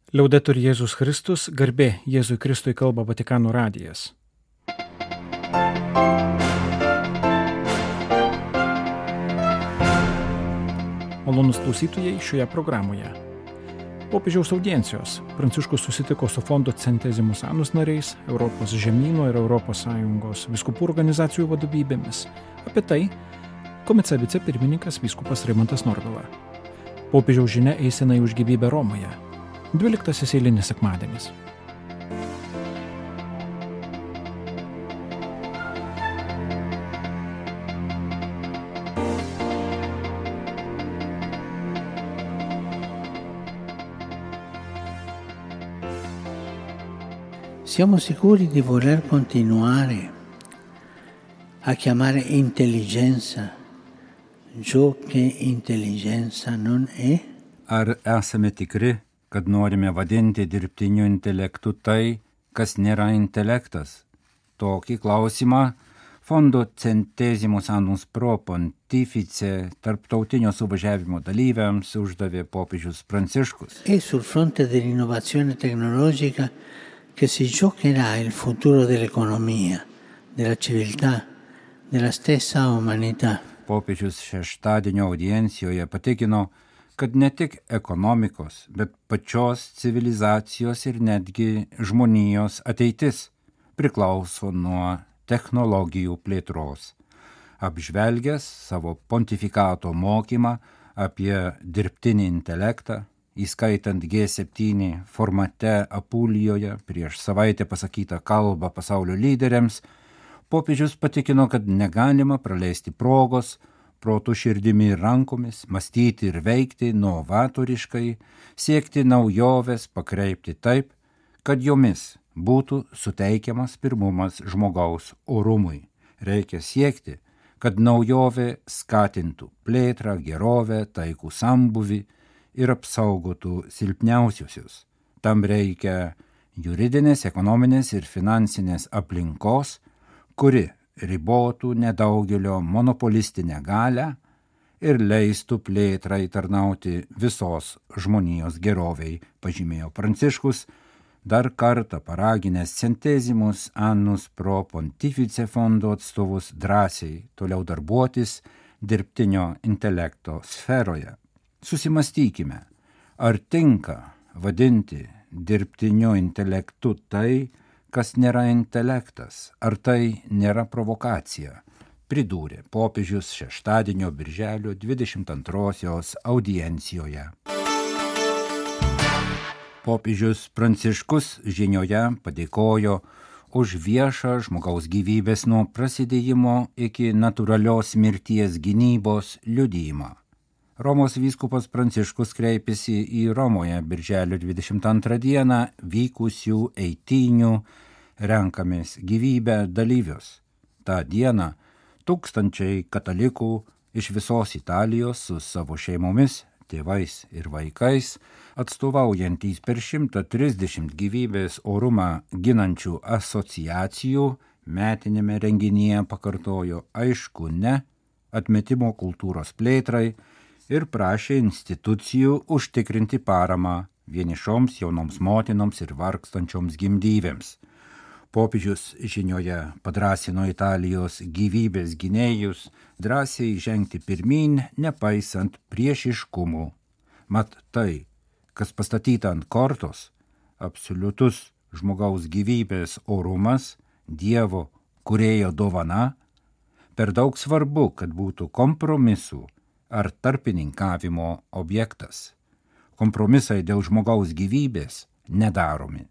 Liaudetur Jėzus Kristus, garbė Jėzui Kristui, kalba Vatikano radijas. Malonūs klausytojai šioje programoje. Popiežiaus audiencijos Pranciškus susitiko su fondo Centesimus Annus nariais, Europos žemyno ir ES vyskupų organizacijų vadovybėmis. Apie tai komice vicepirmininkas vyskupas Rimantas Norvila. Popiežiaus žinia eisenai už gyvybę Romoje. 12 eilinis sekmadienis. Siamo sicuri di voler continuare a chiamare intelligenza ciò che intelligenza non è? Ar esame tikri, kad norime vadinti dirbtiniu intelektu tai, kas nėra intelektas? Tokį klausimą fondo Centesimus Annus Pro Pontifice tarptautinio suvažiavimo dalyviams uždavė popiežius Pranciškus. È sul fronte dell'innovazione tecnologica che si giocherà il futuro dell'economia, della civiltà, della stessa umanità. Popiežius šeštadienio audiencijoje patikino, kad ne tik ekonomikos, bet pačios civilizacijos ir netgi žmonijos ateitis priklauso nuo technologijų plėtros. Apžvelgęs savo pontifikato mokymą apie dirbtinį intelektą, įskaitant G7 formate Apulijoje prieš savaitę pasakytą kalbą pasaulio lyderiams, popiežius patikino, kad negalima praleisti progos protų širdimi ir rankomis, mąstyti ir veikti novatoriškai, siekti naujoves, pakreipti taip, kad jomis būtų suteikiamas pirmumas žmogaus orumui. Reikia siekti, kad naujovė skatintų plėtrą, gerovę, taikų sambuvį ir apsaugotų silpniausiusius. Tam reikia juridinės, ekonominės ir finansinės aplinkos, kuri ribotų nedaugelio monopolistinę galią ir leistų plėtrai tarnauti visos žmonijos geroviai, pažymėjo Pranciškus, dar kartą paraginęs Centesimus Annus Pro Pontifice fondo atstovus drąsiai toliau darbuotis dirbtinio intelekto sferoje. Susimastykime, ar tinka vadinti dirbtiniu intelektu tai, kas nėra intelektas, ar tai nėra provokacija, pridūrė popiežius šeštadienio birželio 22 audiencijoje. Popiežius Pranciškus žinioje padėkojo už viešą žmogaus gyvybės nuo prasidėjimo iki natūralios mirties gynybos liudijimą. Romos vyskupas Pranciškus kreipėsi į Romoje birželio 22 dieną vykusių eitynių renkamės gyvybę dalyvius. Ta diena tūkstančiai katalikų iš visos Italijos su savo šeimomis, tėvais ir vaikais, atstovaujantys per 130 gyvybės orumą ginančių asociacijų, metinėme renginyje pakartojo aišku ne atmetimo kultūros plėtrai ir prašė institucijų užtikrinti paramą vienišoms jaunoms motinoms ir vargstančioms gimdyvėms. Popiežius žinioje padrąsino Italijos gyvybės gynėjus drąsiai žengti pirmyn, nepaisant priešiškumų. Mat tai, kas pastatyta ant kortos, absoliutus žmogaus gyvybės orumas, Dievo kūrėjo dovana, per daug svarbu, kad būtų kompromisų ar tarpininkavimo objektas. Kompromisai dėl žmogaus gyvybės nedaromi,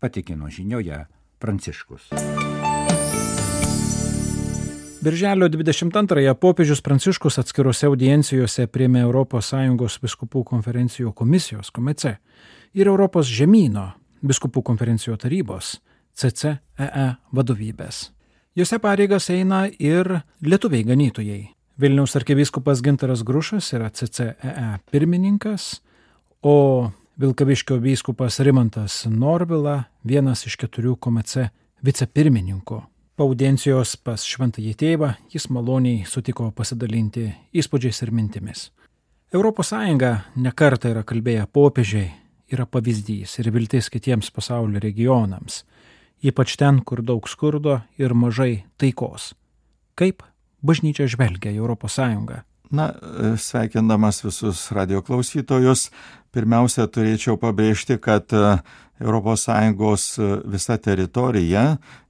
patikino žinioje Pranciškus. Birželio 22 popiežius Pranciškus atskirose audiencijose priėmė ES vyskupų konferencijų komisijos komice ir Europos žemyno vyskupų konferencijų tarybos CCEE vadovybės. Jose pareigas eina ir lietuviai ganytojai. Vilniaus arkivyskupas Gintaras Grušas yra CCEE pirmininkas, o Vilkaviškio vyskupas Rimantas Norvila vienas iš 4 KOMECE vicepirmininkų. Po audiencijos pas šventąjį tėvą jis maloniai sutiko pasidalinti įspūdžiais ir mintimis. ES ne kartą yra kalbėję popiežiai yra pavyzdys ir viltis kitiems pasaulio regionams, ypač ten, kur daug skurdo ir mažai taikos. Kaip bažnyčia žvelgia į Europos Sąjungą? Na, sveikindamas visus radio klausytojus, pirmiausia, turėčiau pabrėžti, kad ES visa teritorija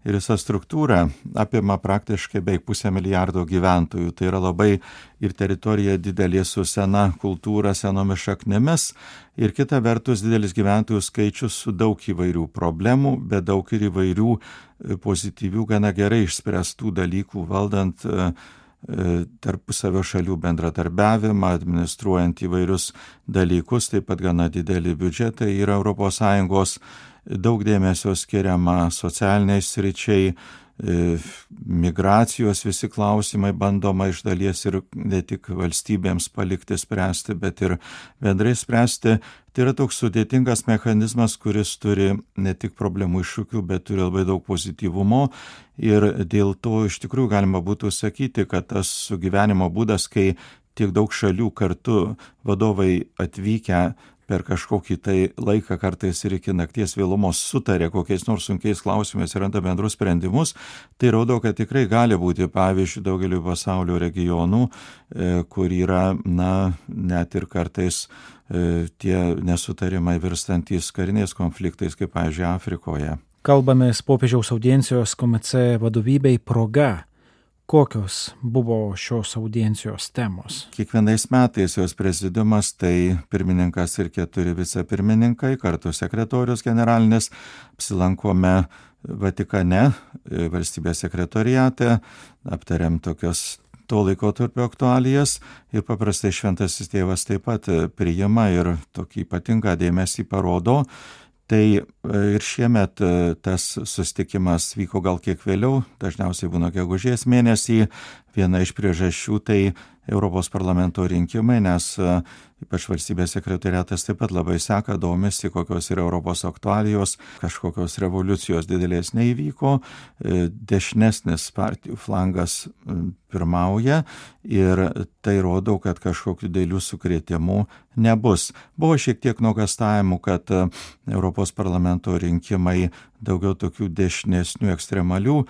ir visa struktūra apima praktiškai beveik 500 milijardo gyventojų. Tai yra labai ir teritorija didelė su sena kultūra, senomis šaknimis ir kita vertus didelis gyventojų skaičius su daug įvairių problemų, bet daug ir įvairių pozityvių, gana gerai išspręstų dalykų valdant tarpusavio šalių bendradarbiavimą, administruojant įvairius dalykus, taip pat gana didelį biudžetą yra ES, daug dėmesio skiriama socialiniai sričiai, migracijos visi klausimai bandoma iš dalies ir ne tik valstybėms palikti spręsti, bet ir bendrai spręsti. Tai yra toks sudėtingas mechanizmas, kuris turi ne tik problemų iššūkių, bet turi labai daug pozityvumo ir dėl to iš tikrųjų galima būtų sakyti, kad tas sugyvenimo būdas, kai tiek daug šalių kartu vadovai atvykę per kažkokį tai laiką, kartais ir iki nakties vėlumos sutarė kokiais nors sunkiais klausimais ir randa bendrus sprendimus, tai rodo, kad tikrai gali būti pavyzdžių daugeliu pasaulio regionų, kur yra, net ir kartais tie nesutarimai virstantys kariniais konfliktais, kaip pavyzdžiui Afrikoje. Kalbamės popiežiaus audiencijos KMC vadovybei proga. Kokios buvo šios audiencijos temos? Kiekvienais metais jos prezidiumas, tai pirmininkas ir 4 vicepirmininkai, kartu sekretorius generalinis, apsilankome Vatikane, valstybės sekretoriate, aptariam tokios to laikotarpio aktualijas ir paprastai šventasis tėvas taip pat priima ir tokį ypatingą dėmesį parodo. Tai ir šiemet tas susitikimas vyko gal kiek vėliau, dažniausiai būna gegužės mėnesį. Viena iš priežasčių tai Europos parlamento rinkimai, nes ypač valstybės sekretoriatas taip pat labai seka, domisi, kokios yra Europos aktualijos, kažkokios revoliucijos didelės neįvyko, dešinesnis partijų flangas pirmauja ir tai rodo, kad kažkokių didelių sukrėtimų nebus. Buvo šiek tiek nuogąstavimų, kad Europos parlamento rinkimai daugiau tokių dešinesnių ekstremalių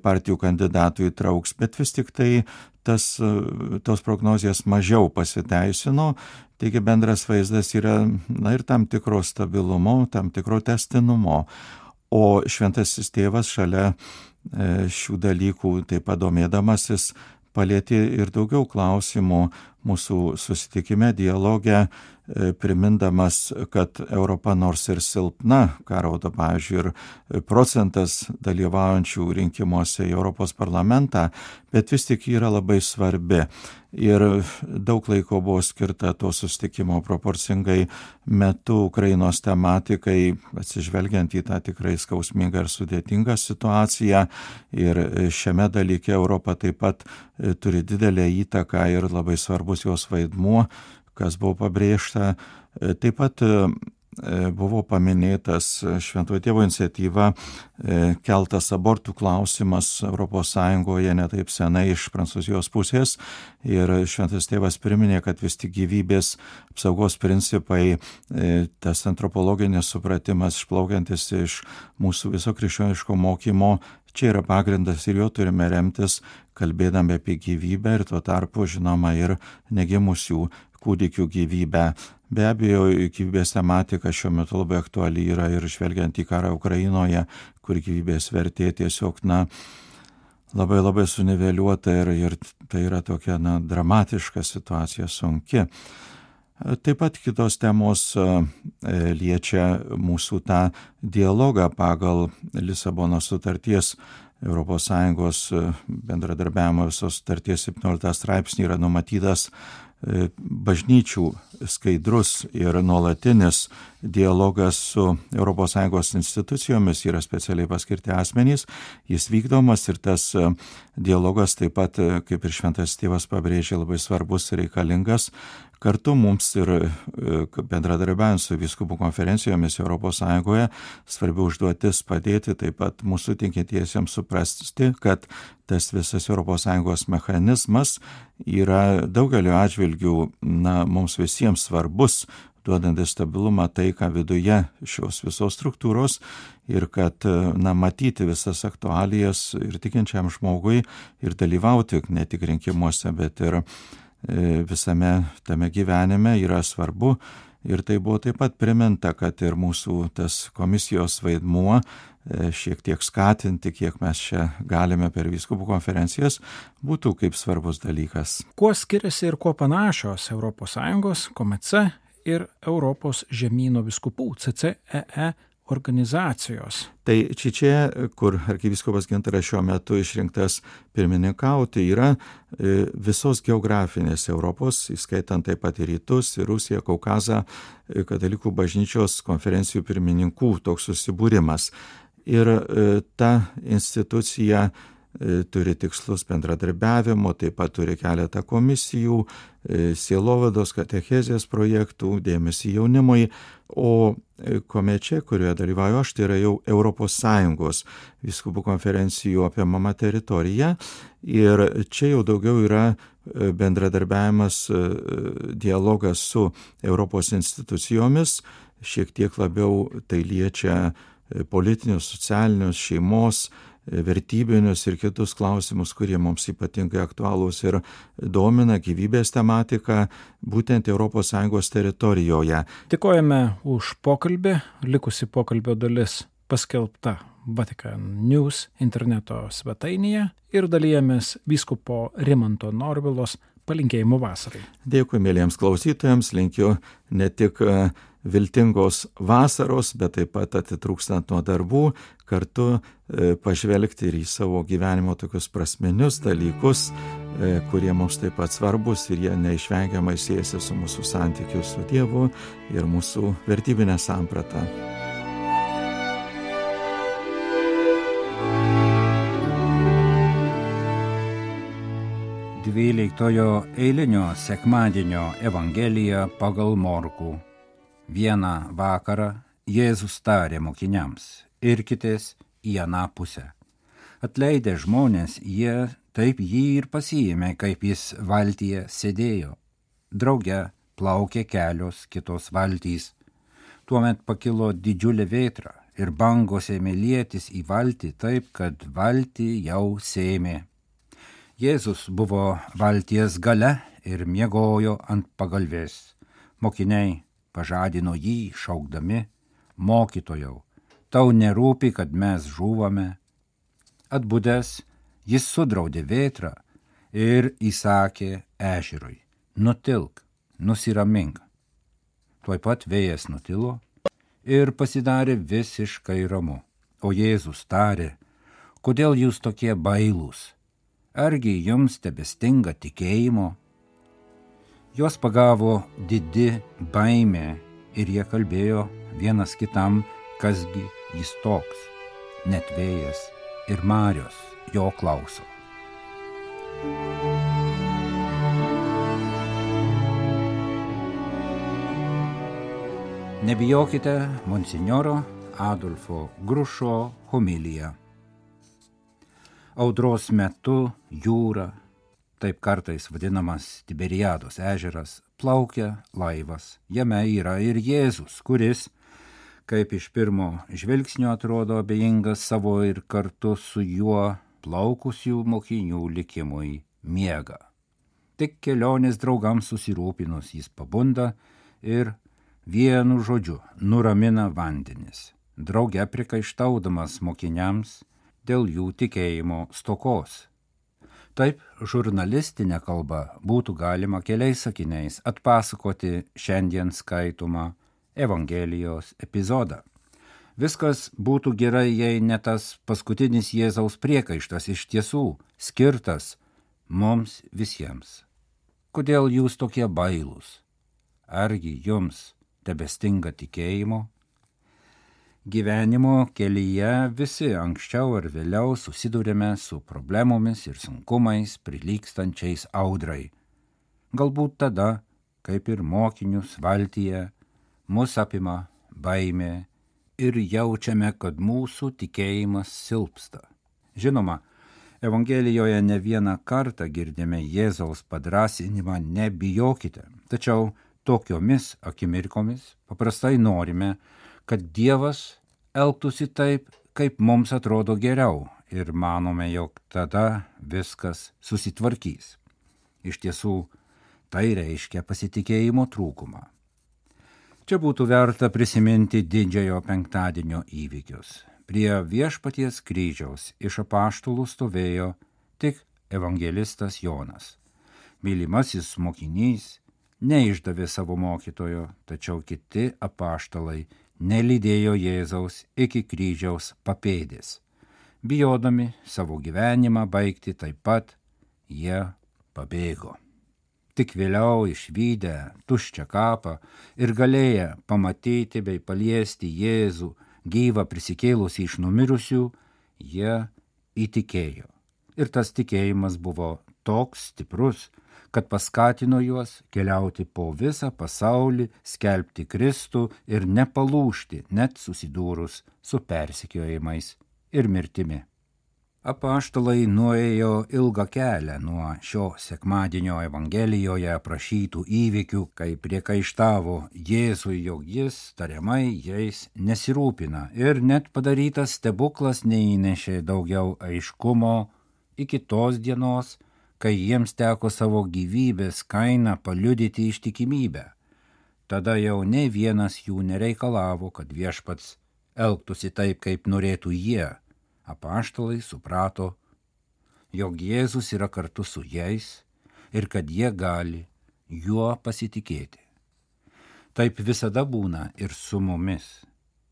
partijų kandidatų įtrauks, bet vis tik tai tos prognozijos mažiau pasiteisino, taigi bendras vaizdas yra ir tam tikro stabilumo, tam tikro tęstinumo. O šventasis tėvas šalia šių dalykų taip pat domėdamasis palietė ir daugiau klausimų mūsų susitikime, dialoge, primindamas, kad Europa nors ir silpna, ką rodo, pavyzdžiui, ir procentas dalyvaujančių rinkimuose į Europos parlamentą, bet vis tik yra labai svarbi. Ir daug laiko buvo skirta to susitikimo proporcingai metu Ukrainos tematikai, atsižvelgiant į tą tikrai skausmingą ir sudėtingą situaciją. Ir šiame dalyke Europa taip pat turi didelę įtaką ir labai svarbus jos vaidmuo, kas buvo pabrėžta. Taip pat buvo paminėtas Šventojo Tėvo iniciatyva keltas abortų klausimas ES ne taip senai iš Prancūzijos pusės ir Šventas Tėvas priminė, kad vis tik gyvybės apsaugos principai, tas antropologinis supratimas išplaukiantis iš mūsų viso krikščioniško mokymo, čia yra pagrindas ir jo turime remtis, kalbėdami apie gyvybę ir tuo tarpu, žinoma, ir negimusių kūdikių gyvybę. Be abejo, gyvybės tematika šiuo metu labai aktuali yra ir žvelgiant į karą Ukrainoje, kur gyvybės vertė tiesiog, labai labai suniveliuota ir tai yra tokia, dramatiška situacija, sunki. Taip pat kitos temos liečia mūsų tą dialogą pagal Lisabono sutarties ES bendradarbiavimo visos sutarties 17 straipsnį yra numatytas bažnyčių skaidrus ir nuolatinis dialogas su ES institucijomis, yra specialiai paskirti asmenys, jis vykdomas ir tas dialogas taip pat, kaip ir Šventas Tėvas pabrėžė, labai svarbus ir reikalingas. Kartu mums ir bendradarbiaujant su vyskupų konferencijomis ES svarbi užduotis padėti taip pat mūsų tikintiesiems suprasti, kad tas visas ES mechanizmas yra daugeliu atžvilgių mums visiems svarbus, duodantis stabilumą, taiką viduje šios visos struktūros ir kad matyti visas aktualijas ir tikinčiam žmogui ir dalyvauti ne tik rinkimuose, bet ir visame tame gyvenime yra svarbu. Ir tai buvo taip pat priminta, kad ir mūsų tas komisijos vaidmuo šiek tiek skatinti, kiek mes čia galime per vyskupų konferencijas, būtų kaip svarbus dalykas. Kuo skiriasi ir kuo panašios ES, KOMECE ir Europos žemyno vyskupų CCEE organizacijos? Tai čia, kur arkivyskupas Gintaras šiuo metu išrinktas pirmininkauti, yra visos geografinės Europos, įskaitant taip pat ir Rytus, ir Rusiją, Kaukazą, katalikų bažnyčios konferencijų pirmininkų toks susibūrimas. Ir ta institucija turi tikslus bendradarbiavimo, taip pat turi keletą komisijų, sielovados, katechezės projektų, dėmesį jaunimui, o KOMECE, kurioje dalyvauju aš, tai yra jau ES vyskupų konferencijų apimama teritorija ir čia jau daugiau yra bendradarbiavimas, dialogas su Europos institucijomis, šiek tiek labiau tai liečia politinius, socialinius, šeimos, vertybinius ir kitus klausimus, kurie mums ypatingai aktualūs ir domina gyvybės tematiką būtent ES teritorijoje. Dėkojame už pokalbį, likusi pokalbio dalis paskelbta Vatican News interneto svetainėje ir dalijamės vyskupo Rimanto Norvilos palinkėjimų vasarai. Dėkui mėlyjams klausytojams, linkiu ne tik viltingos vasaros, bet taip pat atitrūkstant nuo darbų, kartu pažvelgti ir į savo gyvenimo tokius prasminius dalykus, kurie mums taip pat svarbus ir jie neišvengiamai siejasi su mūsų santykiu su Dievu ir mūsų vertybinė samprata. Dvyliktojo eilinio sekmadienio Evangelija pagal Morkų. Vieną vakarą Jėzus tarė mokiniams: irkitės į aną pusę. Atleidę žmonės, jie taip jį ir pasiėmė, kaip jis valtyje sėdėjo. Drauge plaukė kelios kitos valtys. Tuomet pakilo didžiulė vėtra ir bangos ėmė lietis į valtį taip, kad valtį jau sėmė. Jėzus buvo valties gale ir miegojo ant pagalvės. Mokiniai pažadino jį šaukdami: mokytojau, tau nerūpi, kad mes žūvame? Atbudęs, jis sudraudė vėtrą ir įsakė ežerui: nutilk, nusiramink. Tuoj pat vėjas nutilo ir pasidarė visiškai ramu. O Jėzus tarė: kodėl jūs tokie bailūs? Argi jums tebestinga tikėjimo? Juos pagavo didi baimė ir jie kalbėjo vienas kitam, kasgi jis toks. Net vėjas ir marios jo klauso. Nebijokite monsinjoro Adolfo Grušo homilija. Audros metu jūra, taip kartais vadinamas Tiberiados ežeras, plaukia laivas. Jame yra ir Jėzus, kuris, kaip iš pirmo žvilgsnio atrodo abejingas savo ir kartu su juo plaukusių mokinių likimui, miega. Tik kelionės draugams susirūpinus jis pabunda ir vienu žodžiu nuramina vandenis, drauge prikaištaudamas mokiniams dėl jų tikėjimo stokos. Taip, žurnalistinė kalba būtų galima keliais sakiniais atpasakoti šiandien skaitomą Evangelijos epizodą. Viskas būtų gerai, jei ne tas paskutinis Jėzaus priekaištas iš tiesų skirtas mums visiems. Kodėl jūs tokie bailūs? Argi jums tebestinga tikėjimo? Gyvenimo kelyje visi anksčiau ar vėliau susidurėme su problemomis ir sunkumais prilygstančiais audrai. Galbūt tada, kaip ir mokinius valtyje, mus apima baimė ir jaučiame, kad mūsų tikėjimas silpsta. Žinoma, Evangelijoje ne vieną kartą girdime Jėzaus padrąsinimą nebijokite, tačiau tokiomis akimirkomis paprastai norime, kad Dievas elgtųsi taip, kaip mums atrodo geriau ir manome, jog tada viskas susitvarkys. Iš tiesų, tai reiškia pasitikėjimo trūkumą. Čia būtų verta prisiminti didžiojo penktadienio įvykius. Prie Viešpaties kryžiaus iš apaštalų stovėjo tik evangelistas Jonas. Mylimasis mokinys neišdavė savo mokytojo, tačiau kiti apaštalai nelydėjo Jėzaus iki kryžiaus papėdės. Bijodami savo gyvenimą baigti taip pat, jie pabėgo. Tik vėliau išvydę tuščią kapą ir galėję pamatyti bei paliesti Jėzų gyvą prisikėlusį iš numirusių, jie įtikėjo. Ir tas tikėjimas buvo toks stiprus, kad paskatino juos keliauti po visą pasaulį, skelbti Kristų ir nepalūžti, net susidūrus su persekiojimais ir mirtimi. Apaštalai nuėjo ilgą kelią nuo šio sekmadienio Evangelijoje aprašytų įvykių, kai priekaištavo Jėzui, jog jis tariamai jais nesirūpina, ir net padarytas stebuklas neįnešė daugiau aiškumo iki tos dienos, kai jiems teko savo gyvybės kainą paliudyti ištikimybę. Tada jau ne vienas jų nereikalavo, kad Viešpats elgtųsi taip, kaip norėtų jie. Apaštalai suprato, jog Jėzus yra kartu su jais ir kad jie gali juo pasitikėti. Taip visada būna ir su mumis.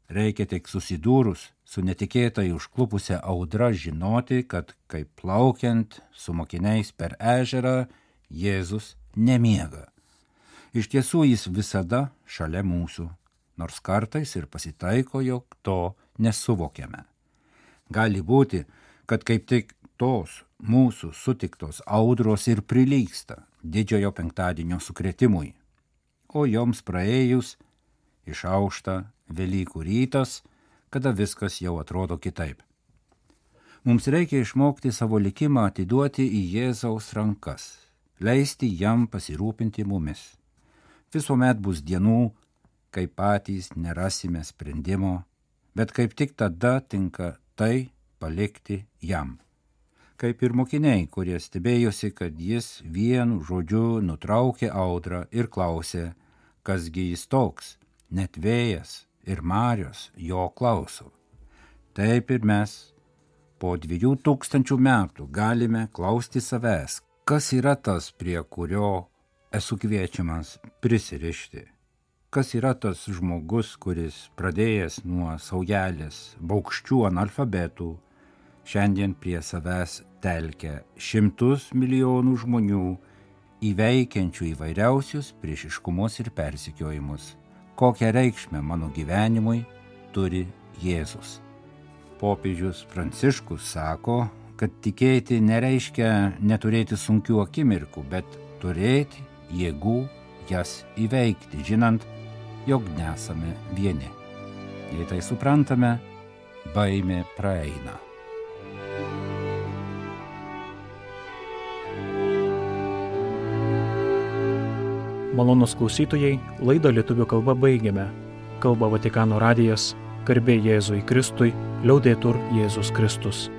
Reikia tik susidūrus su netikėtai užklupusia audra žinoti, kad kaip plaukiant su mokiniais per ežerą, Jėzus nemiega. Iš tiesų jis visada šalia mūsų, nors kartais ir pasitaiko, jog to nesuvokiame. Gali būti, kad kaip tik tos mūsų sutiktos audros ir prilygsta didžiojo penktadienio sukrėtimui, o joms praėjus išaušta Velykų rytas, kada viskas jau atrodo kitaip. Mums reikia išmokti savo likimą atiduoti į Jėzaus rankas, leisti jam pasirūpinti mumis. Visuomet bus dienų, kai patys nerasime sprendimo, bet kaip tik tada tinka tai palikti jam. Kaip ir mokiniai, kurie stebėjosi, kad jis vienu žodžiu nutraukė audrą ir klausė, kasgi jis toks, net vėjas ir marios jo klauso. Taip ir mes po 2000 metų galime klausti savęs, kas yra tas, prie kurio esu kviečiamas prisirišti. Kas yra tas žmogus, kuris pradėjęs nuo saujelės baugščių analfabetų, šiandien prie savęs telkia 100 milijonų žmonių, įveikiančių įvairiausius priešiškumus ir persekiojimus. Kokią reikšmę mano gyvenimui turi Jėzus. Popiežius Pranciškus sako, kad tikėti nereiškia neturėti sunkių akimirkų, bet turėti jėgų jas įveikti, žinant, jog nesame vieni. Jei tai suprantame, baimė praeina. Malonūs klausytojai, laidą lietuvių kalba baigiame. Kalba Vatikano radijas, garbė Jėzui Kristui, liaudetur Jėzus Kristus.